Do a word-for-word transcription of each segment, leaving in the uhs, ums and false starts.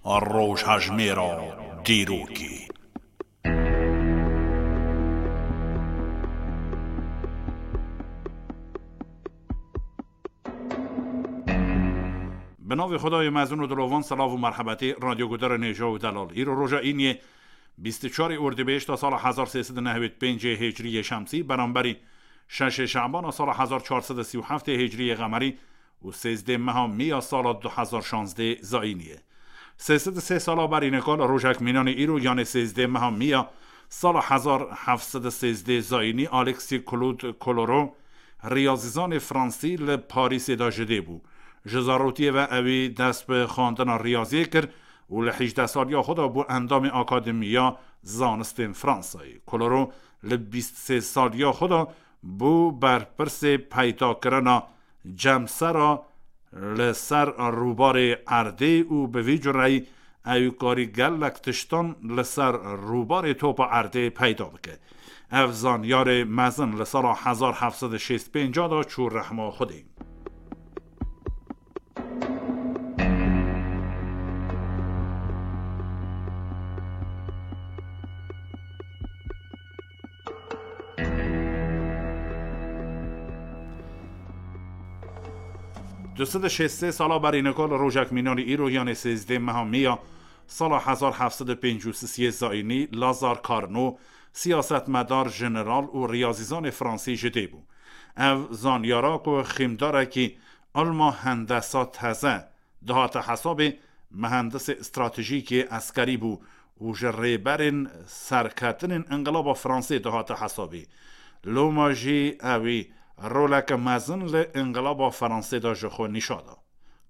Rojhejmêra dîrokê. Bi navê Xwedayê mezin û dilovan, selav û merhebetê, radyogudarê nêja û delal. Îro roja îniyê, bîst û çarê Ordîbehişta sala hezar sê sed û nehwêd pêncê Hicriyê Şemsî, beramberî şeşê Şebana sala hezar çar sed û sî û heftê Hicriyê Qemerî û sêzdê meha Mîya sala du hezar şazdê Zayînî ye. Sê sed û sê sala berî nika li rojek mînanê îro, yanê sêzdê meha Mîya sala hezar heft sed û sêzdê Zayînî, Alexis Claude Colorot, riyazîzanê fransî, li Parîsê de ji dê bû. Ji zarokiyê ve ewî dest bi xwendina riyaziyê kir û li hejdeh saliya xwe de bû endamê Akademiya Zanistên Fransayê. Colorot li bîst sê saliya xwe de bû berpirsê peydakirina cemsera li ser rûbarê erdê û bi vî cureyî ew karî gelek tiştan li ser rûbarê topa erdê peyda bike. Ev zanyarê mezin li sala hezar heft sed û şêst pênc de çû rehma Xwedê. Du sed û şêst sê sala berî nika li rojek mînanî îro, yanê sêzdê meha Mîya sala hezar heft sed û pêncî û sisê Zayînî, Lazar Carnot, siyasetmedar, jeneral û riyazîzanê fransî ji dê bû. Ev zanyara ku xîmdarekî ilma hendesa teze dihate hesabê, mihendisê stratejîkê eskerî bû û ji rêberên serketinên Inqilaba Fransê dihate hesabê. Loma jî ewî roleke mezin li Inqilaba Fransê de ji xwe nîşa da.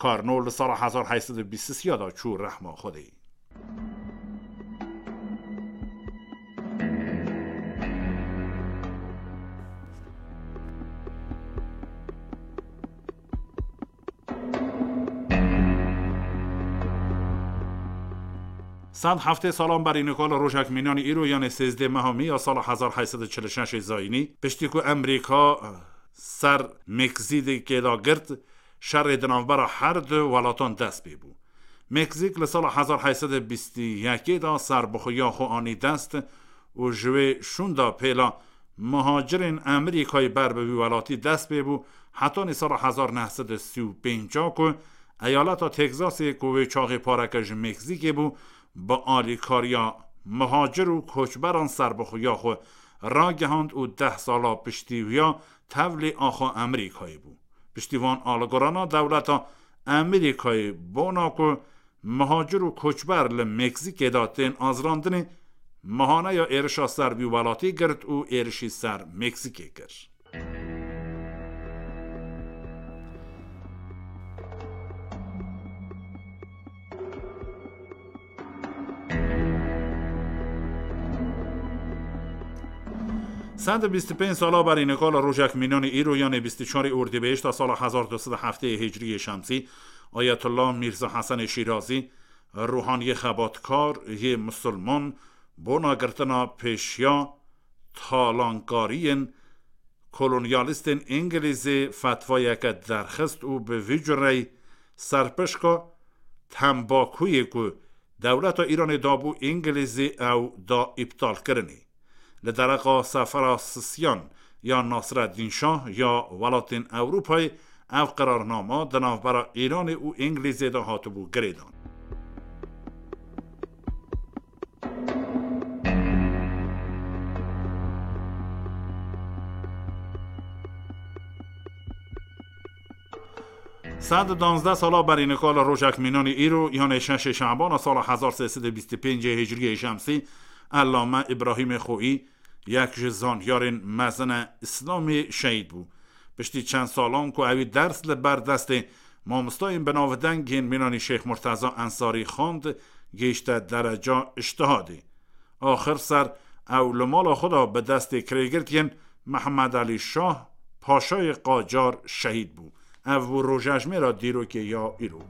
Carnot li sala hezar heyt sed û bîst û sê de çû rehma Xwedê. Sed heftê salan berî nika li rojek mînanî îro, yanê sêzdê meha Mîya sala hezar heyt sed û çil û şeş Zayînî, piştî ku Emerîka ser Meksîkê da girt, şerê di navbera her du welatan dest pê bû. Meksîk li sala hezar heyt sed û bîst û yekê da serbixweya xwe anî dest û ji wê şûnda pêla muhacirên Emerîkayê ber bi wî welatî dest pê bû, hetanî sala hezar neh sed û sî û pênc ku eyaleta Texasê, ku wê çaxê pareke ji Meksîkê bû, bi alîkariya muhacir û koçberan serbixweya xwe ragihand û deh sala piştî wiya tevlî axa Emerîkayê bû. Piştî van alîgorana dewleta Emerîkayê bona ku muhacir û koçber li Meksîkê de tên azirandinê, mihaneya êrişa ser vî welatî girt û êrişî ser Meksîkê kir. Sed û bîst û pênc sala berî nika li rojek mînanî îro, yanê bîst û çarê Ordîbehişta sala hezar du sed û heftê Hicriyê Şemsî, Ayetullah Mîrza Hesenê Şîrazî, ruhaniyê xebatkar yê misilman, bona girtina pêşiya talankariyên kolonyalîstên Îngilîzê fetvayeke derxist û bi vî cureyî serpişka tembakuyê ku dewleta Îranê dabû Îngilîzê ew da îptalkirinê. Li dereqa sefera Sisyan ya Nasreddîn Şah ya welatên Ewropayê ev qirarnama di navbera Îranê û Îngilîzê de hatibû girêdan. Sed û danzdeh sala berî nika li rojek mînanî îro, yanê şeşê Şebana sala hezar sê sed û bîst û pêncê Hicriyê Şemsî, Ellame Îbrahîmê Xoî, yek ji zanyarên mezin e Îslamê, şehîd bû. Piştî çend salan ku ewî ders li ber destê mamostayên binavdeng yên mînanî Şêx Murteza Ensarî xwend, gihişte dereca îctihadê. Axir ser ew li mala xwe de bi destê kirêgirtiyên Mihemed Elî Şah, Paşayê Qacar, şehîd bû. Ev bû rojejmêra dîrokê ya îro.